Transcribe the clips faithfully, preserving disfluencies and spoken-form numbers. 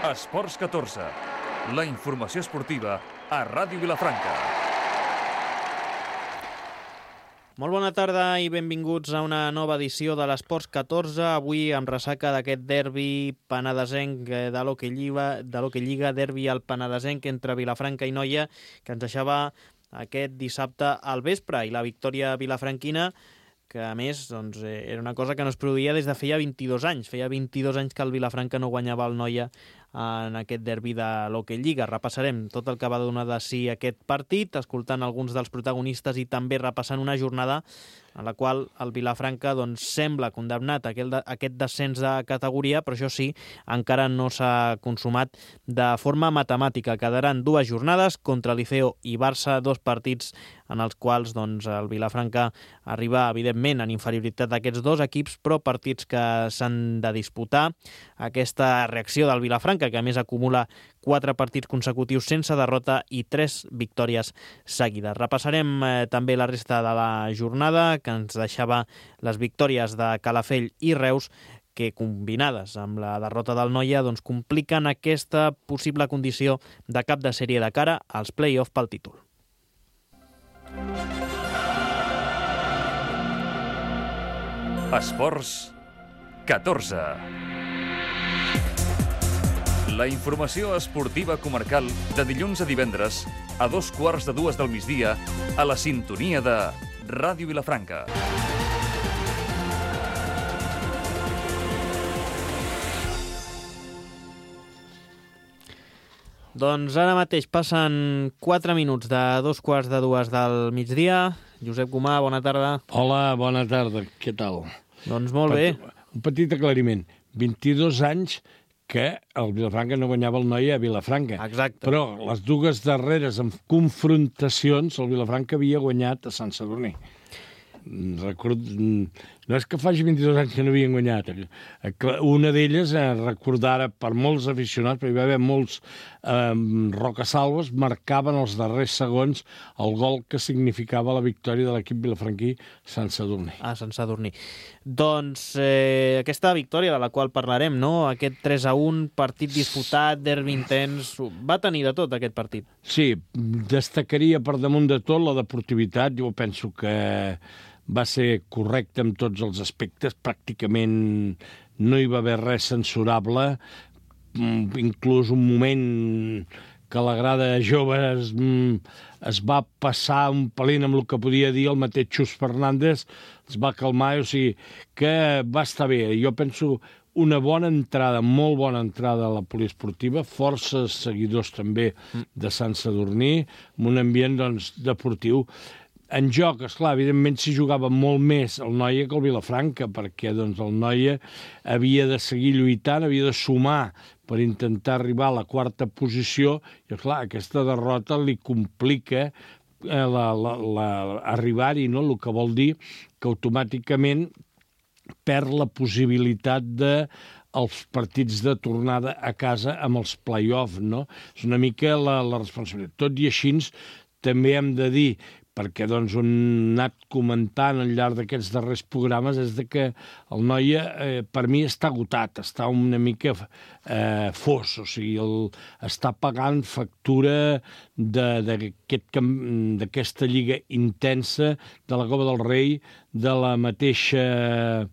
Esports catorze, la informació esportiva a Ràdio Vilafranca. Molt bona tarda i benvinguts a una nova edició de l'Esports catorze, avui amb ressaca d'aquest derbi penedesenc de l'Hockey Lliga, de l'Hockey Lliga, derbi al penedesenc entre Vilafranca i Noia, que ens deixava aquest dissabte al vespre, i la victòria vilafranquina, que a més doncs, era una cosa que no es produïa des de feia vint-i-dos anys. Feia vint-i-dos anys que el Vilafranca no guanyava el Noia en aquest derbi de l'Hockey Lliga. Repassarem tot el que va donar de si aquest partit, escoltant alguns dels protagonistes i també repassant una jornada en la qual el Vilafranca doncs, sembla condemnat a aquest descens de categoria, però això sí, encara no s'ha consumat de forma matemàtica. Quedaran dues jornades contra Liceo i Barça, dos partits en els quals doncs, el Vilafranca arriba, evidentment, en inferioritat d'aquests dos equips, però partits que s'han de disputar. Aquesta reacció del Vilafranca, que a més acumula quatre partits consecutius sense derrota i tres victòries seguides. Repassarem eh, també la resta de la jornada, que ens deixava les victòries de Calafell i Reus, que combinades amb la derrota del Noia doncs, compliquen aquesta possible condició de cap de sèrie de cara als play-off pel títol. Esports catorze. La informació esportiva comarcal de dilluns a divendres a dos quarts de dues del migdia a la sintonia de Ràdio Vilafranca. Doncs ara mateix passen quatre minuts de dos quarts de dues del migdia. Josep Gomà, bona tarda. Hola, bona tarda. Què tal? Doncs molt bé. Un petit aclariment. vint-i-dos anys que el Vilafranca no guanyava el Noia a Vilafranca. Exacte. Però les dues darreres en confrontacions el Vilafranca havia guanyat a Sant Sadurní. Record... No és que faci vint-i-dos anys que no havien guanyat. Una d'elles, eh, recordara per molts aficionats, perquè hi va haver molts eh, rocasalves, marcaven els darrers segons el gol que significava la victòria de l'equip vilafranquí Sant Sadurní. Ah, Sant Sadurní. Doncs eh, aquesta victòria de la qual parlarem, no? Aquest tres a un, partit disputat, derbi intens, va tenir de tot aquest partit. Sí, destacaria per damunt de tot la deportivitat. Jo penso que va ser correcte en tots els aspectes, pràcticament no hi va haver res censurable, inclús un moment que la grada jove es, es va passar un pelín amb el que podia dir el mateix Xus Fernández, es va calmar, o sigui que va estar bé. Jo penso una bona entrada, molt bona entrada a la poliesportiva, força seguidors també de Sant Sadurní, amb un ambient doncs, deportiu. En joc, esclar, evidentment s'hi jugava molt més el Noia que el Vilafranca, perquè doncs, el Noia havia de seguir lluitant, havia de sumar per intentar arribar a la quarta posició, i esclar, aquesta derrota li complica eh, la, la, la, arribar-hi, no? El que vol dir que automàticament perd la possibilitat de els partits de tornada a casa amb els play-off, no? És una mica la, la responsabilitat. Tot i així, també hem de dir, perquè doncs, on he anat comentant al llarg d'aquests darrers programes és de que el Noia, eh, per mi, està agotat, està una mica eh, fos, o sigui, el, està pagant factura d'aquesta lliga intensa, de la Copa del Rei, de la mateixa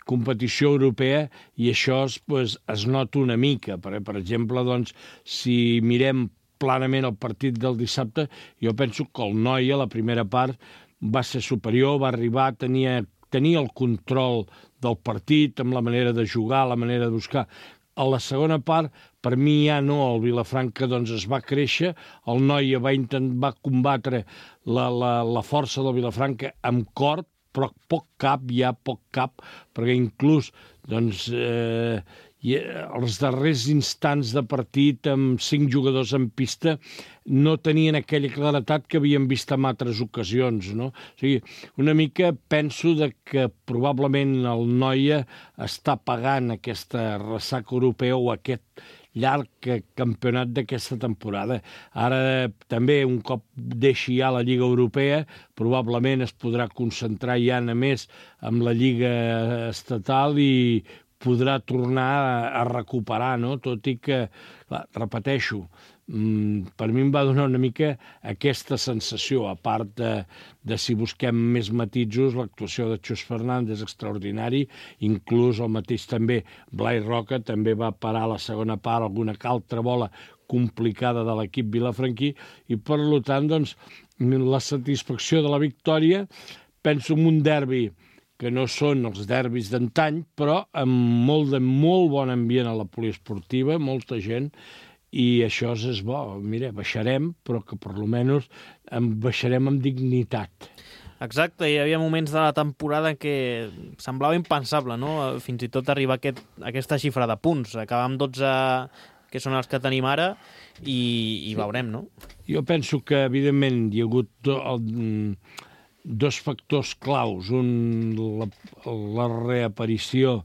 competició europea, i això pues, es nota una mica. Per, per exemple, doncs, si mirem planament el partit del dissabte, jo penso que el Noia, la primera part, va ser superior, va arribar, tenia, tenia el control del partit, amb la manera de jugar, la manera de buscar. A la segona part, per mi ja no, el Vilafranca doncs, es va créixer, el Noia va, intent, va combatre la, la, la força del Vilafranca amb cor, però poc cap, ja poc cap, perquè inclús doncs, eh, i els darrers instants de partit amb cinc jugadors en pista no tenien aquella claretat que havíem vist en altres ocasions, no? O sigui, una mica penso de que probablement el Noia està pagant aquesta ressaca europea o aquest llarg campionat d'aquesta temporada. Ara també, un cop deixi ja la Lliga Europea, probablement es podrà concentrar ja només amb la Lliga estatal i podrà tornar a, a recuperar, no? Tot i que, clar, repeteixo, mm, per mi em va donar una mica aquesta sensació, a part de, de si busquem més matisos, l'actuació de Xus Fernández extraordinari, inclús el mateix també Blai Roca també va parar a la segona part alguna altra bola complicada de l'equip vilafranquí, i per tant, doncs, la satisfacció de la victòria, penso en un derbi que no són els derbis d'antany, però amb molt de molt bon ambient a la poliesportiva, molta gent, i això és bo. Mira, baixarem, però que per almenys baixarem amb dignitat. Exacte, hi havia moments de la temporada que semblava impensable, no? Fins i tot arribar a aquest, a aquesta xifra de punts. Acabar amb dotze, que són els que tenim ara, i, i sí. Veurem, no? Jo penso que, evidentment, hi ha hagut el, dos factors claus. Un, la, la reaparició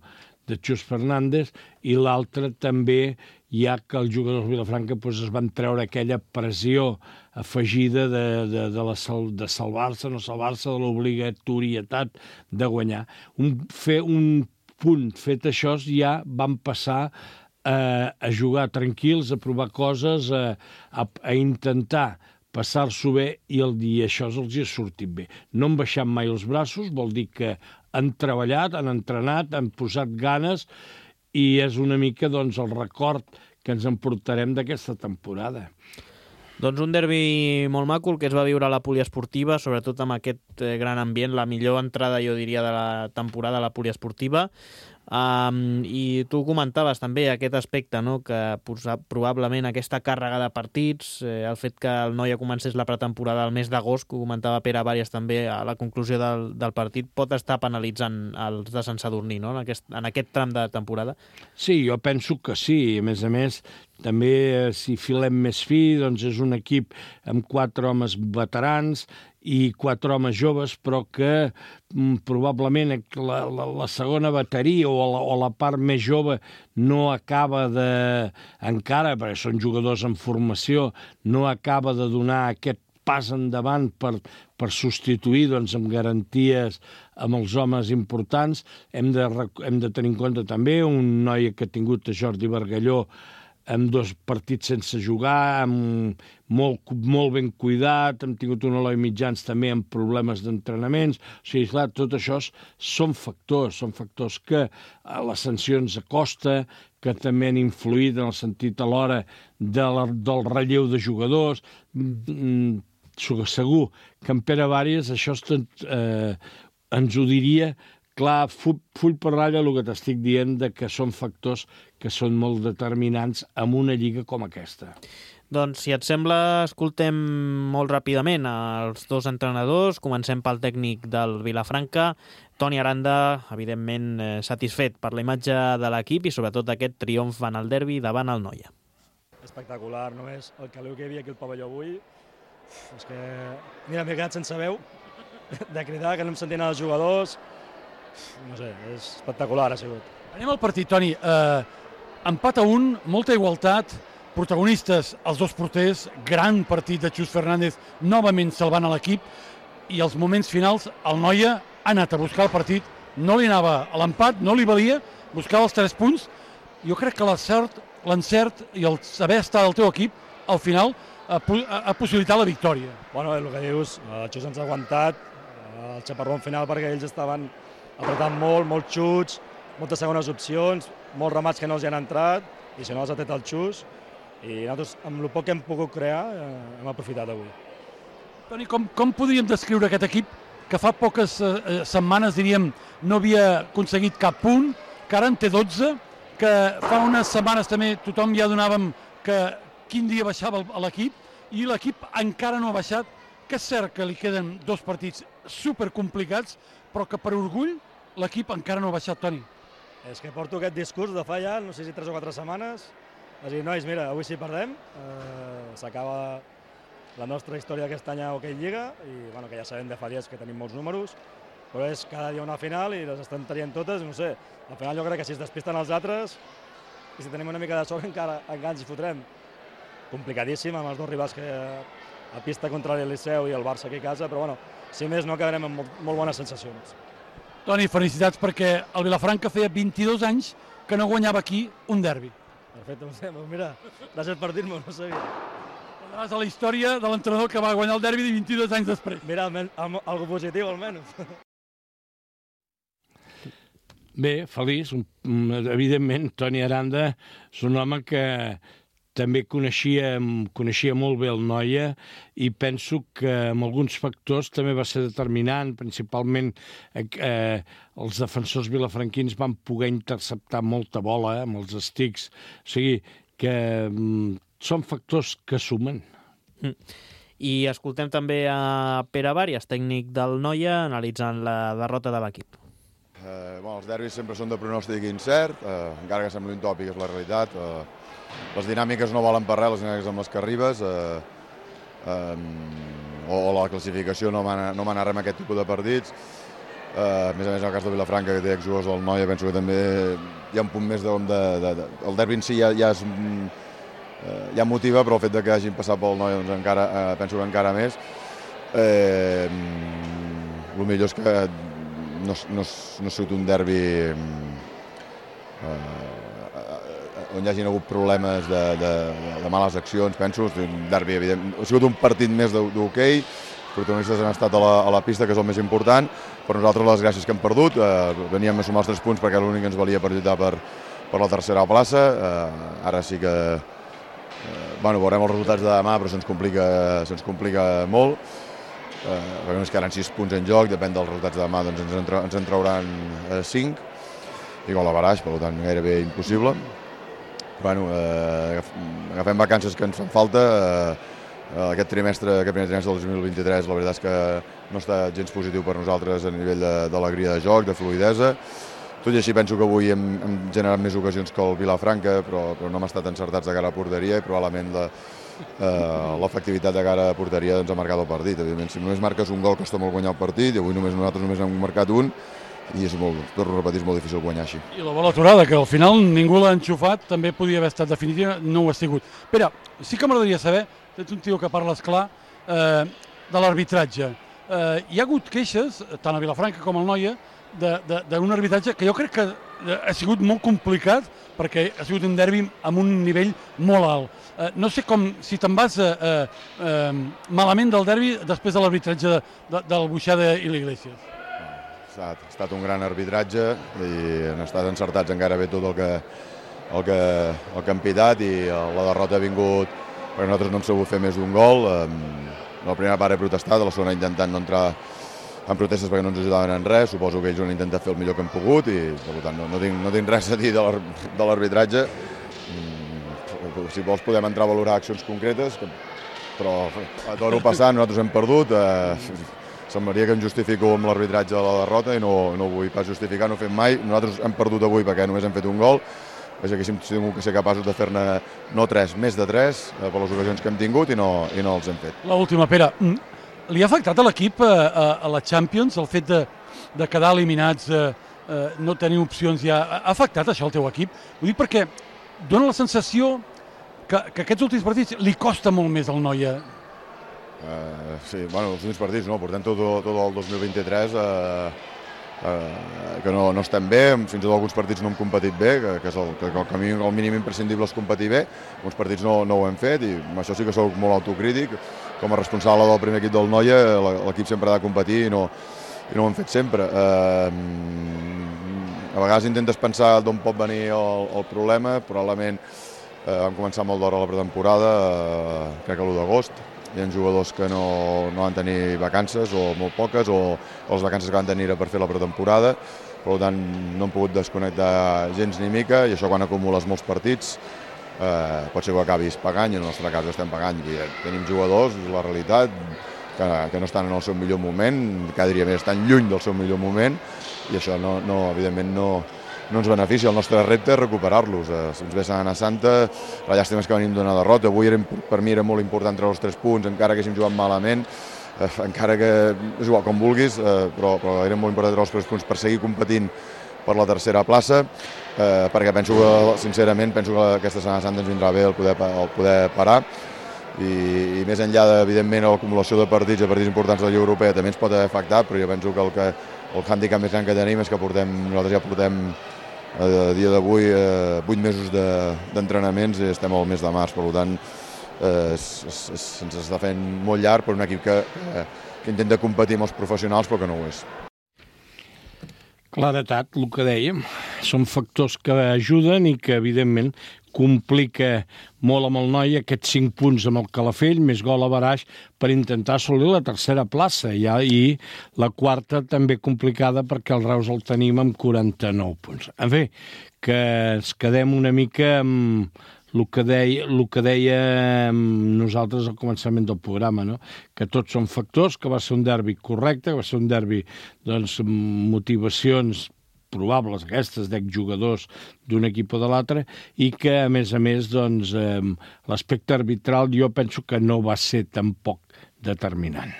de Xus Fernández, i l'altre també ja que els jugadors de Vilafranca doncs, es van treure aquella pressió afegida de, de, de, la, de salvar-se, no salvar-se, de l'obligatorietat de guanyar. Un, fer un punt fet això, ja van passar a, a jugar tranquils, a provar coses, a, a, a intentar passar-s'ho bé, i el dia això els hi ha sortit bé. No han baixat mai els braços, vol dir que han treballat, han entrenat, han posat ganes, i és una mica doncs, el record que ens emportarem d'aquesta temporada. Doncs un derbi molt maco, el que es va viure a la poliesportiva, sobretot amb aquest gran ambient, la millor entrada, jo diria, de la temporada a la poliesportiva. Um, I tu comentaves també aquest aspecte, no? Que probablement aquesta càrrega de partits, eh, el fet que el Noia comencés la pretemporada al mes d'agost, que ho comentava Pere Vàries també a la conclusió del, del partit, pot estar penalitzant els de Sant Sadurní, no? En aquest, en aquest tram de temporada. Sí, jo penso que sí. A més a més, també si filem més fi, doncs és un equip amb quatre homes veterans i quatre homes joves, però que mm, probablement la, la, la segona bateria o la, o la part més jove no acaba de, encara, perquè són jugadors en formació, no acaba de donar aquest pas endavant per, per substituir doncs, amb garanties amb els homes importants. Hem de, hem de tenir en compte també un noi que ha tingut a Jordi Bargalló amb dos partits sense jugar, amb molt, molt ben cuidat, hem tingut un Eloi Mitjans també amb problemes d'entrenaments. O sigui, clar, tot això són factors, són factors que a les sancions a costa, que també han influït en el sentit a l'hora de la, del relleu de jugadors. Mm, segur que en Pere Vàries això eh, ens ho diria. Clar, full, full per ratlla el que t'estic dient de que són factors que són molt determinants en una lliga com aquesta. Doncs, si et sembla, escoltem molt ràpidament els dos entrenadors. Comencem pel tècnic del Vilafranca, Toni Aranda, evidentment eh, satisfet per la imatge de l'equip i sobretot aquest triomf en el derbi davant el Noia. Espectacular, només el caleu que hi havia aquí al pavelló avui. És que, mira, m'he quedat sense veu de cridar, que no em sentien els jugadors. No sé, és espectacular ha sigut. Anem al partit, Toni. Eh, empat a un, molta igualtat, protagonistes els dos porters, gran partit de Xus Fernández, novament salvant a l'equip, i els moments finals el Noia ha anat a buscar el partit, no li anava a l'empat, no li valia, buscava els tres punts. Jo crec que l'encert, l'encert i el saber estar del teu equip, al final, ha, ha possibilitat la victòria. Bueno, el que dius, el Xus ens ha aguantat, el xaparrón final perquè ells estaven apretant molt, molts xuts, moltes segones opcions, molts ramats que no els hi han entrat, i si no els ha tret el Xus, i nosaltres, amb el poc que hem pogut crear, eh, hem aprofitat avui. Toni, com, com podríem descriure aquest equip que fa poques eh, setmanes, diríem, no havia aconseguit cap punt, que ara en té dotze, que fa unes setmanes també tothom ja donàvem que quin dia baixava l'equip, i l'equip encara no ha baixat, que és cert que li queden dos partits supercomplicats, però que per orgull l'equip encara no ha baixat, Toni. És que porto aquest discurs de fa ja, no sé si tres o quatre setmanes, és a dir, nois, mira, avui sí perdem, eh, s'acaba la nostra història aquest any a Hockey Lliga, i bueno, que ja sabem de fa dies que tenim molts números, però és cada dia una final i les estan traient totes, no sé, al final jo crec que si es despisten els altres, i si tenim una mica de sort encara, encara ens hi fotrem. Complicadíssim amb els dos rivals que a pista contra el Liceu i el Barça aquí a casa, però bueno, si més no acabarem amb molt, molt bones sensacions. Toni, felicitats perquè el Vilafranca feia vint-i-dos anys que no guanyava aquí un derbi. Perfecte, no sé, mira, gràcies per dir-m'ho, no sabia. Parlaràs a la història de l'entrenador que va guanyar el derbi vint-i-dos anys després. Mira, algo positiu almenys. Bé, feliç. Evidentment, Toni Aranda és un home que també coneixia, coneixia molt bé el Noia i penso que amb alguns factors també va ser determinant, principalment eh, els defensors vilafranquins van poder interceptar molta bola eh, amb els estics, o sigui que mm, són factors que sumen. Mm. I escoltem també a Pere Bàrias, tècnic del Noia, analitzant la derrota de l'equip. Eh, bueno, els derbis sempre són de pronòstic incert, eh, encara que sembli un tòpic, és la realitat. Eh, les dinàmiques no valen per res, les dinàmiques amb les que arribes, eh, eh, o, o la classificació no va no anar res amb aquest tipus de partits. Eh, a més a més, en el cas de Vilafranca, que té exjugadors del Noia, penso que també hi ha un punt més de... de, de, de el derbi en si ja, ja, és, eh, ja motiva, però el fet de que hagin passat pel Noia, doncs encara, eh, penso que encara més. Eh, el millor és que no, no, no ha sigut un derbi eh, on hi hagin hagut problemes de, de, de males accions, penso. Un derbi, evident, ha sigut un partit més d'hoquei, els protagonistes han estat a la, a la pista, que és el més important, però nosaltres les gràcies que hem perdut, eh, veníem a sumar els tres punts perquè l'únic que ens valia per lluitar per, per la tercera plaça. Eh, ara sí que eh, bueno, veurem els resultats de demà, però se'ns complica, se'ns complica molt. Eh, perquè ens quedaran sis punts en joc, depèn dels resultats de demà, doncs ens en, ens en trauran eh, cinc, i gol a baraix, per tant gairebé impossible. Bueno, eh, agafem vacances que ens fan falta. Eh, aquest trimestre, aquest primer trimestre del dos mil vint-i-tres, la veritat és que no està gens positiu per nosaltres a nivell d'alegria de, de joc, de fluidesa. Tot i així penso que avui hem, hem generat més ocasions que el Vilafranca, però, però no hem estat encertats de cara a porteria i probablement la, eh, l'efectivitat de cara a porteria ens ha marcat el partit. Evidentment, si només marques un gol costa molt guanyar el partit, i avui només nosaltres només hem marcat un, i és molt, torno a repetir, és molt difícil guanyar així. I la bola aturada, que al final ningú l'ha enxufat, també podia haver estat definitiva, no ho ha sigut. Pere, sí que m'agradaria saber, ets un tio que parles clar, eh, de l'arbitratge. Eh, hi ha hagut queixes, tant a Vilafranca com al Noia, d'un arbitratge que jo crec que ha sigut molt complicat, perquè ha sigut un derbi amb un nivell molt alt. Eh, no sé com, si te'n vas eh, eh, malament del derbi després de l'arbitratge de, de, del Buixada i l'Iglesias. Ha estat un gran arbitratge i han estat encertats encara bé tot el que, el que, el que han pitat, i la derrota ha vingut perquè nosaltres no hem sabut fer més d'un gol. La primera part he protestat, la segona intentant no entrar en protestes perquè no ens ajudaven en res. Suposo que ells han intentat fer el millor que han pogut i per tant no, no, tinc, no tinc res a dir de l'arbitratge. Si vols podem entrar a valorar accions concretes, però a toro passant nosaltres hem perdut. Eh, Semblaria que em justifico amb l'arbitratge de la derrota i no, no ho vull pas justificar, no ho fem mai. Nosaltres hem perdut avui perquè només hem fet un gol. Vaja, que hem de ser capaços de fer-ne no tres, més de tres, eh, per les ocasions que hem tingut i no, i no els hem fet. L'última, Pere. Li ha afectat a l'equip, a, a la Champions, el fet de, de quedar eliminats, eh, eh, no tenir opcions ja? Ha afectat això al teu equip? Ho dic perquè dona la sensació que, que aquests últims partits li costa molt més al Noia. Uh, sí, bueno, els últims partits no, portem tot, tot el dos mil vint-i-tres uh, uh, que no, no estem bé, fins i tot alguns partits no hem competit bé, que, que és el, que el, camí, el mínim imprescindible és competir bé. Alguns partits no, no ho hem fet i amb això sí que soc molt autocrític. Com a responsable del primer equip del Noia, l'equip sempre ha de competir i no, i no ho hem fet sempre. Uh, a vegades intentes pensar d'on pot venir el, el problema. Probablement uh, vam començar molt d'hora la pretemporada, uh, crec que l'u d'agost. Hi ha jugadors que no, no van tenir vacances, o molt poques, o, o les vacances que van tenir era per fer la pretemporada. Per tant, no hem pogut desconnectar gens ni mica, i això quan acumules molts partits eh, pot ser que acabis pagant, i en el nostre cas estem pagant. I tenim jugadors, és la realitat, que, que no estan en el seu millor moment, cada dia més estan lluny del seu millor moment, i això no, no, evidentment no, no ens beneficia. El nostre repte és recuperar-los. Eh, si ens ve Setmana Santa, la llàstima és que venim d'una derrota. Avui era, per mi era molt important treure els tres punts, encara que haguéssim jugat malament, eh, encara que és igual, com vulguis, eh, però, però era molt important treure els tres punts per seguir competint per la tercera plaça, eh, perquè penso que, sincerament, penso que aquesta Setmana Santa ens vindrà bé el poder, el poder parar, i, i més enllà, de, evidentment, l'acumulació de partits, de partits importants de la Lliga Europea també ens pot haver afectat, però jo penso que el, que, el hàndicap més gran que tenim és que portem, nosaltres ja portem a dia d'avui eh, vuit mesos d'entrenaments de, i estem al mes de març, per tant eh, se'ns està fent molt llarg per un equip que, que, que intenta competir amb els professionals però que no ho és. Claretat, el que dèiem, són factors que ajuden i que evidentment complica molt amb el noi aquests cinc punts amb el Calafell, més gol a baraix per intentar assolir la tercera plaça. Ja, i la quarta també complicada perquè el Reus el tenim amb quaranta-nou punts. En fi, que ens quedem una mica amb el que deia, el que deia nosaltres al començament del programa, no? Que tots són factors, que va ser un derbi correcte, que va ser un derbi doncs, amb motivacions probables aquestes d'exjugadors d'un equip o de l'altre i que, a més a més, doncs, eh, l'aspecte arbitral jo penso que no va ser tampoc determinant.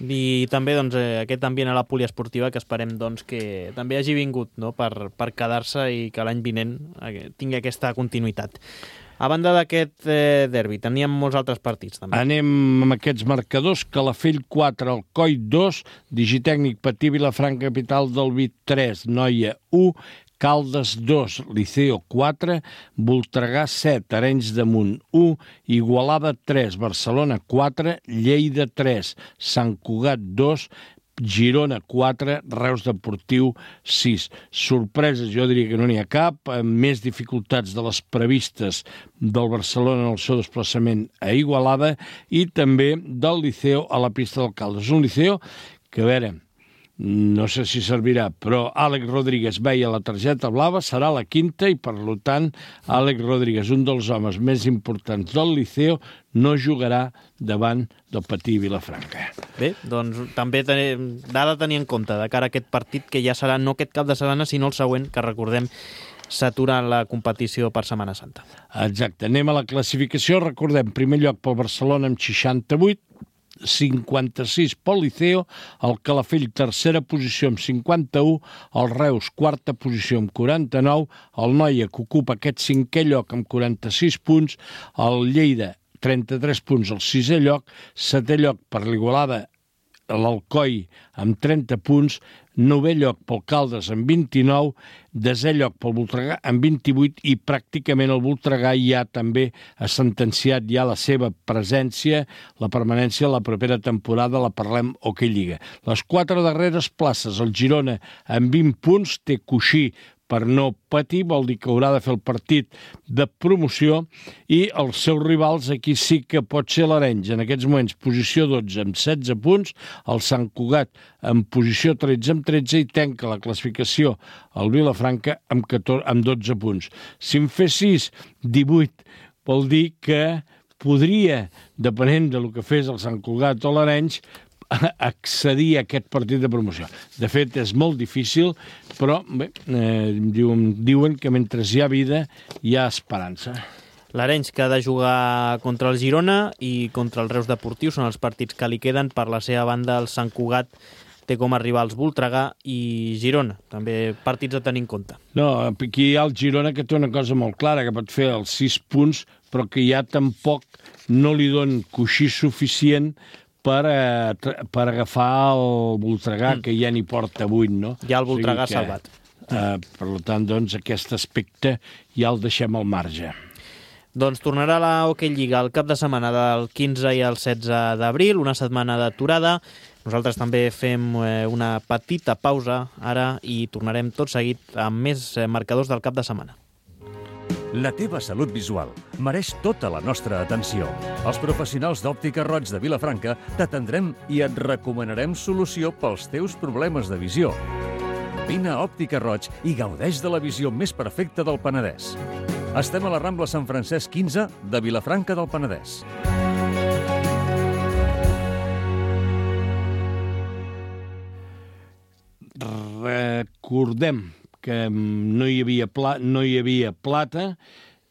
I també doncs, eh, aquest ambient a la poliesportiva que esperem doncs, que també hagi vingut, no? per, per quedar-se i que l'any vinent eh, tingui aquesta continuïtat. A banda d'aquest eh, derbi, teníem molts altres partits, també. Anem amb aquests marcadors. Calafell quatre, Alcoi dos, Digitècnic Patí, Vilafranca Capital del Vi tres, Noia u, Caldes dos, Liceo quatre, Voltregà set, Arenys de Munt u, Igualada tres, Barcelona quatre, Lleida tres, Sant Cugat dos, Girona quatre, Reus Deportiu sis. Sorpreses, jo diria que no n'hi ha cap, amb més dificultats de les previstes del Barcelona en el seu desplaçament a Igualada i també del Liceo a la pista del Caldes. Un Liceo que, a veure, no sé si servirà, però Àlex Rodríguez veia la targeta blava, serà la quinta i, per tant, Àlex Rodríguez, un dels homes més importants del Liceo, no jugarà davant del Patí Vilafranca. Bé, doncs també ten... ha de tenir en compte de cara a aquest partit que ja serà no aquest cap de setmana, sinó el següent, que recordem s'atura la competició per Setmana Santa. Exacte, anem a la classificació. Recordem, primer lloc pel Barcelona amb seixanta-vuit, cinquanta-sis pel Liceo, el Calafell tercera posició amb cinquanta-u, el Reus quarta posició amb quaranta-nou, el Noia que ocupa aquest cinquè lloc amb quaranta-sis punts, el Lleida trenta-tres punts al sisè lloc, setè lloc per l'Igualada, l'Alcoi amb trenta punts, novè lloc pel Caldes amb vint-i-nou, desè lloc pel Voltregà amb vint-i-vuit i pràcticament el Voltregà ja també ha sentenciat ja la seva presència, la permanència a la propera temporada, la parlem Hockey Lliga. Les quatre darreres places, el Girona amb vint punts, té coixí per no patir, vol dir que haurà de fer el partit de promoció i els seus rivals aquí sí que pot ser l'Arenys. En aquests moments, posició dotze amb setze punts, el Sant Cugat en posició tretze amb tretze i tanca la classificació el Vilafranca amb, catorze, amb dotze punts. Si en fessis divuit, vol dir que podria, depenent del que fes el Sant Cugat o l'Arenys, accedir a aquest partit de promoció. De fet, és molt difícil, però bé, eh, diuen, diuen que mentre hi ha vida hi ha esperança. L'Arenys que ha de jugar contra el Girona i contra el Reus Deportiu són els partits que li queden. Per la seva banda, el Sant Cugat té com a rivals Voltregà i Girona. També partits a tenir en compte. No, aquí hi ha el Girona que té una cosa molt clara, que pot fer els sis punts, però que ja tampoc no li don coixí suficient per, eh, per agafar el Voltregà, mm. que ja n'hi porta vuit, no? Ja el Voltregà o sigui que, salvat. Eh, per tant, doncs, aquest aspecte ja el deixem al marge. Doncs tornarà la Hockey Lliga el cap de setmana del quinze i el setze d'abril, una setmana d'aturada. Nosaltres també fem eh, una petita pausa ara i tornarem tot seguit amb més eh, marcadors del cap de setmana. La teva salut visual mereix tota la nostra atenció. Els professionals d'Òptica Roig de Vilafranca t'atendrem i et recomanarem solució pels teus problemes de visió. Vine a Òptica Roig i gaudeix de la visió més perfecta del Penedès. Estem a la Rambla Sant Francesc quinze de Vilafranca del Penedès. Recordem que no hi havia, pla, no hi havia plata,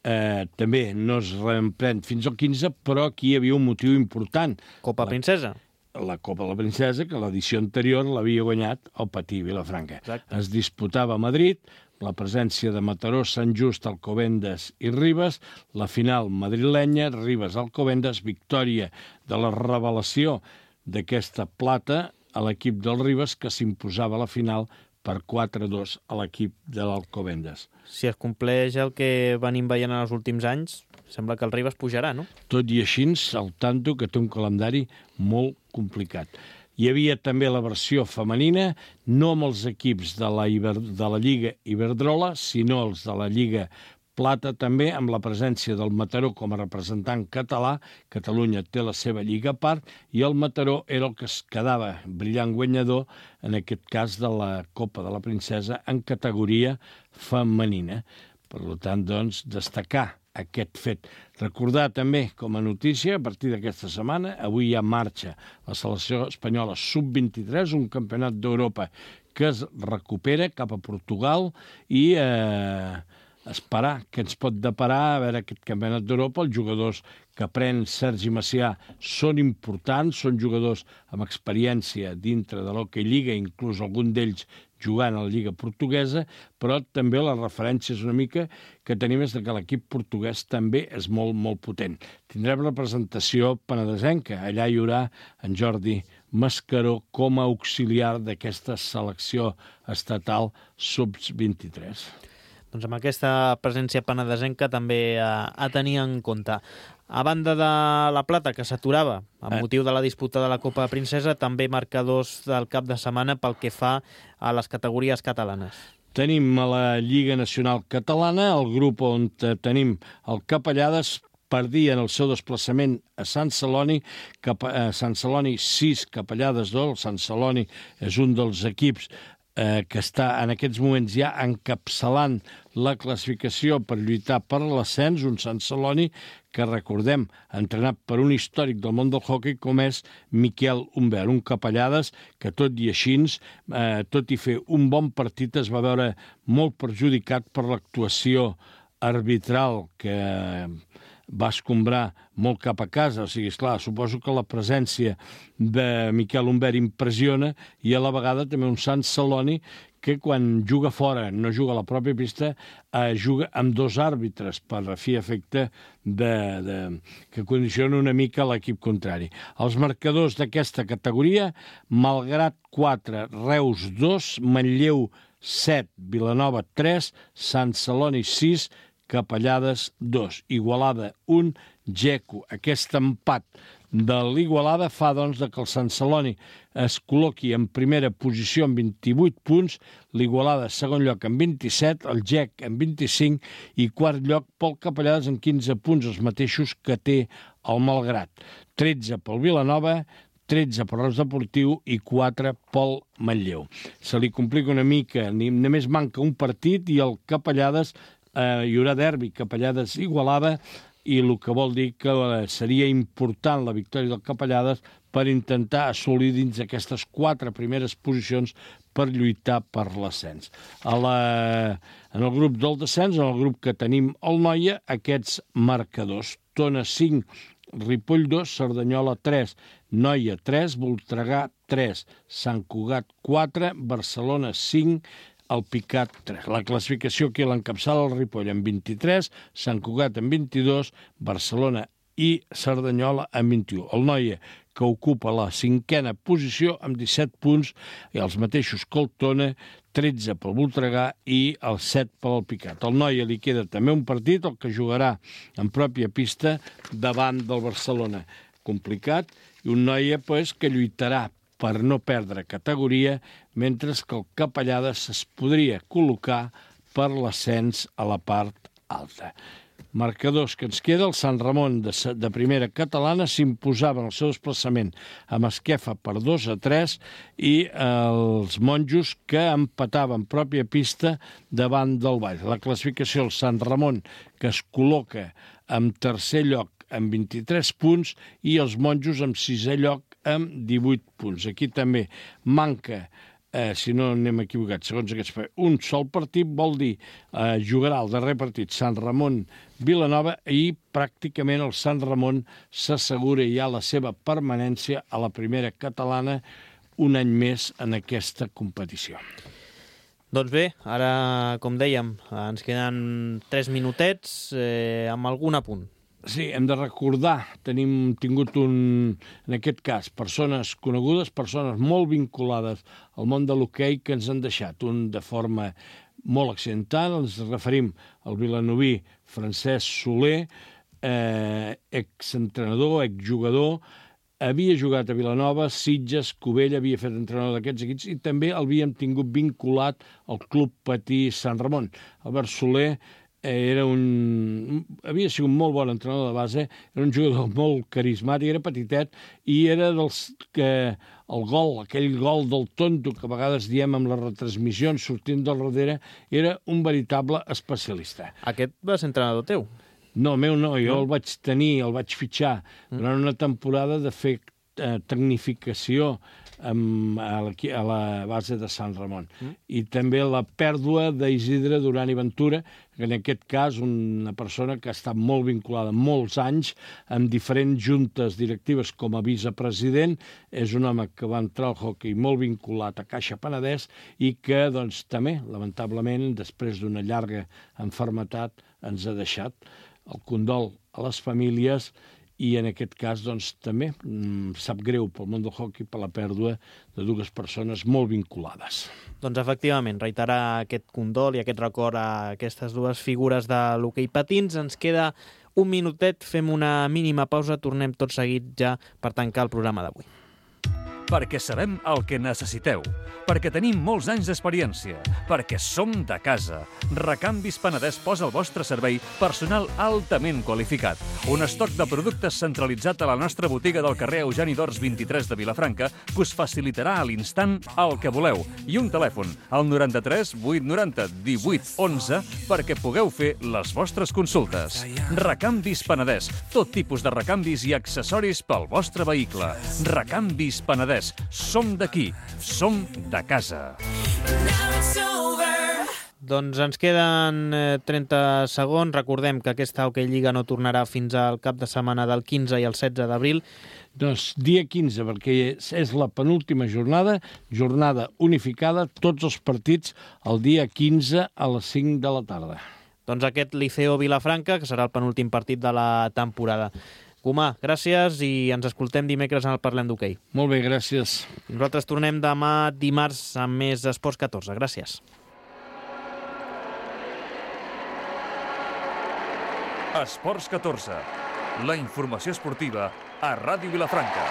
eh, també no es reemprèn fins al quinze, però aquí hi havia un motiu important. Copa la, Princesa. La Copa de la Princesa, que l'edició anterior l'havia guanyat el Patí Vilafranca. Exacte. Es disputava a Madrid, la presència de Mataró, Sant Just, Alcobendas i Ribes, la final madrilenya, Ribes, Alcobendas, victòria de la revelació d'aquesta plata a l'equip del Ribes, que s'imposava a la final per quatre a dos a l'equip de l'Alcobendas. Si es compleix el que venim veient en els últims anys, sembla que el Ribes pujarà, no? Tot i així, al tanto que té un calendari molt complicat. Hi havia també la versió femenina, no amb els equips de la, Iber, de la Lliga Iberdrola, sinó els de la Lliga Plata, també amb la presència del Mataró com a representant català. Catalunya té la seva lliga a part i el Mataró era el que es quedava brillant guanyador, en aquest cas de la Copa de la Princesa, en categoria femenina. Per tant, doncs, destacar aquest fet. Recordar també, com a notícia, a partir d'aquesta setmana, avui hi ha marxa la selecció espanyola sub vint-i-tres, un campionat d'Europa que es recupera cap a Portugal i eh, esperar què ens pot deparar a veure aquest campionat d'Europa. Els jugadors que pren Sergi Macià són importants, són jugadors amb experiència dintre de l'Hockey Lliga, inclús algun d'ells jugant a la Lliga Portuguesa, però també la referència és una mica que tenim és que l'equip portuguès també és molt, molt potent. Tindrem representació penedesenca. Allà hi haurà en Jordi Mascaró com a auxiliar d'aquesta selecció estatal sub vint-i-tres. Doncs amb aquesta presència penedesenca també a, a tenir en compte. A banda de la plata, que s'aturava amb motiu de la disputa de la Copa Princesa, també marcadors del cap de setmana pel que fa a les categories catalanes. Tenim a la Lliga Nacional Catalana, el grup on tenim el Capellades, perdia en el seu desplaçament a Sant Celoni, cap a Sant Celoni sis, Capellades dos. El Sant Celoni és un dels equips eh, que està en aquests moments ja encapçalant la classificació per lluitar per l'ascens, un Sant Celoni que, recordem, entrenat per un històric del món del hoquei com és Miquel Humbert, un Capellades que, tot i així, eh, tot i fer un bon partit, es va veure molt perjudicat per l'actuació arbitral que va escombrar molt cap a casa. O sigui, esclar, suposo que la presència de Miquel Humbert impressiona i a la vegada també un Sant Celoni que quan juga fora, no juga a la pròpia pista, eh, juga amb dos àrbitres per a fi efecte de, de, que condiciona una mica l'equip contrari. Els marcadors d'aquesta categoria, Malgrat quatre, Reus dos, Manlleu set, Vilanova tres, Sant Celoni sis, Capellades dos, Igualada un, Geco. Aquest empat de l'Igualada fa, doncs, que el Sant Celoni es col·loqui en primera posició amb vint-i-vuit punts, l'Igualada segon lloc amb vint-i-set, el Gec amb vint-i-cinc i quart lloc pel Capellades amb quinze punts, els mateixos que té el Malgrat. tretze pel Vilanova, tretze per Reus Deportiu i quatre pel Manlleu. Se li complica una mica, només manca un partit i el Capellades, eh, hi haurà derbi Capellades-Igualada, i el que vol dir que seria important la victòria del Capellades per intentar assolir dins aquestes quatre primeres posicions per lluitar per l'ascens. A la, en el grup del descens, en el grup que tenim el Noia, aquests marcadors: Tona cinc, Ripoll dos, Cerdanyola tres, Noia tres, Voltregà tres, Sant Cugat quatre, Barcelona cinc, el Picat tres. La classificació aquí l'encapçala el Ripoll amb vint-i-tres, Sant Cugat amb vint-i-dos, Barcelona i Cerdanyola amb vint-i-u. El Noia, que ocupa la cinquena posició amb disset punts, i els mateixos que el Tona, tretze pel Voltregà i el set pel Picat. Al Noia li queda també un partit, el que jugarà en pròpia pista davant del Barcelona. Complicat, i un Noia pues, que lluitarà per no perdre categoria, mentre que el Capellades es podria col·locar per l'ascens a la part alta. Marcadors que ens queda: el Sant Ramon de, de primera catalana s'imposava en el seu desplaçament amb Esquefa per dos a tres i els monjos que empataven pròpia pista davant del Vall. La classificació: el Sant Ramon, que es col·loca en tercer lloc amb vint-i-tres punts i els monjos en sisè lloc amb divuit punts. Aquí també manca, eh, si no anem equivocats, segons aquests, un sol partit, vol dir eh, jugarà el darrer partit Sant Ramon-Vilanova i pràcticament el Sant Ramon s'assegura ja la seva permanència a la primera catalana un any més en aquesta competició. Doncs bé, ara, com dèiem, ens queden tres minutets eh, amb algun apunt. Sí, hem de recordar, tenim tingut un, en aquest cas, persones conegudes, persones molt vinculades al món de l'hoquei que ens han deixat, un de forma molt accidental, ens referim al vilanoví Francesc Soler, eh, exentrenador, exjugador, havia jugat a Vilanova, Sitges, Cubella, havia fet entrenador d'aquests equips i també l'havíem tingut vinculat al Club Patí Sant Ramon. Albert Soler era un... havia sigut un molt bon entrenador de base, era un jugador molt carismàtic, era petitet i era dels que el gol, aquell gol del tonto que a vegades diem amb les retransmissions sortint del darrere, era un veritable especialista. Aquest va ser entrenador teu? No, meu no, jo no? el vaig tenir, el vaig fitxar durant una temporada de fer eh, tecnificació amb, a, la, a la base de Sant Ramon. Mm. I també la pèrdua d'Isidre Duran i Ventura, que en aquest cas una persona que ha estat molt vinculada molts anys amb diferents juntes directives com a vicepresident, és un home que va entrar al hoquei molt vinculat a Caixa Penedès i que doncs, també, lamentablement, després d'una llarga enfermetat, ens ha deixat. El condol a les famílies i en aquest cas doncs, també mmm, sap greu pel món del hoquei per la pèrdua de dues persones molt vinculades. Doncs efectivament, reiterar aquest condol i aquest record a aquestes dues figures de l'hoquei patins. Ens queda un minutet, fem una mínima pausa, tornem tot seguit ja per tancar el programa d'avui. Perquè sabem el que necessiteu, perquè tenim molts anys d'experiència, perquè som de casa. Recanvis Penedès posa al vostre servei personal altament qualificat. Un estoc de productes centralitzat a la nostra botiga del carrer Eugeni d'Ors vint-i-tres de Vilafranca que us facilitarà a l'instant el que voleu. I un telèfon, al noranta-tres vuit noranta divuit onze, perquè pugueu fer les vostres consultes. Recanvis Penedès, tot tipus de recanvis i accessoris pel vostre vehicle. Recanvis Penedès. Som d'aquí, som de casa. Doncs ens queden trenta segons. Recordem que aquesta Hoquei Lliga no tornarà fins al cap de setmana del quinze i el setze d'abril. Doncs dia quinze, perquè és la penúltima jornada, jornada unificada, tots els partits el dia quinze a les cinc de la tarda. Doncs aquest Liceo Vilafranca, que serà el penúltim partit de la temporada. Comà, gràcies i ens escoltem dimecres en el Parlem d'Hoquei. Molt bé, gràcies. Nosaltres tornem demà dimarts amb més Esports catorze. Gràcies. Esports catorze. La informació esportiva a Ràdio Vilafranca.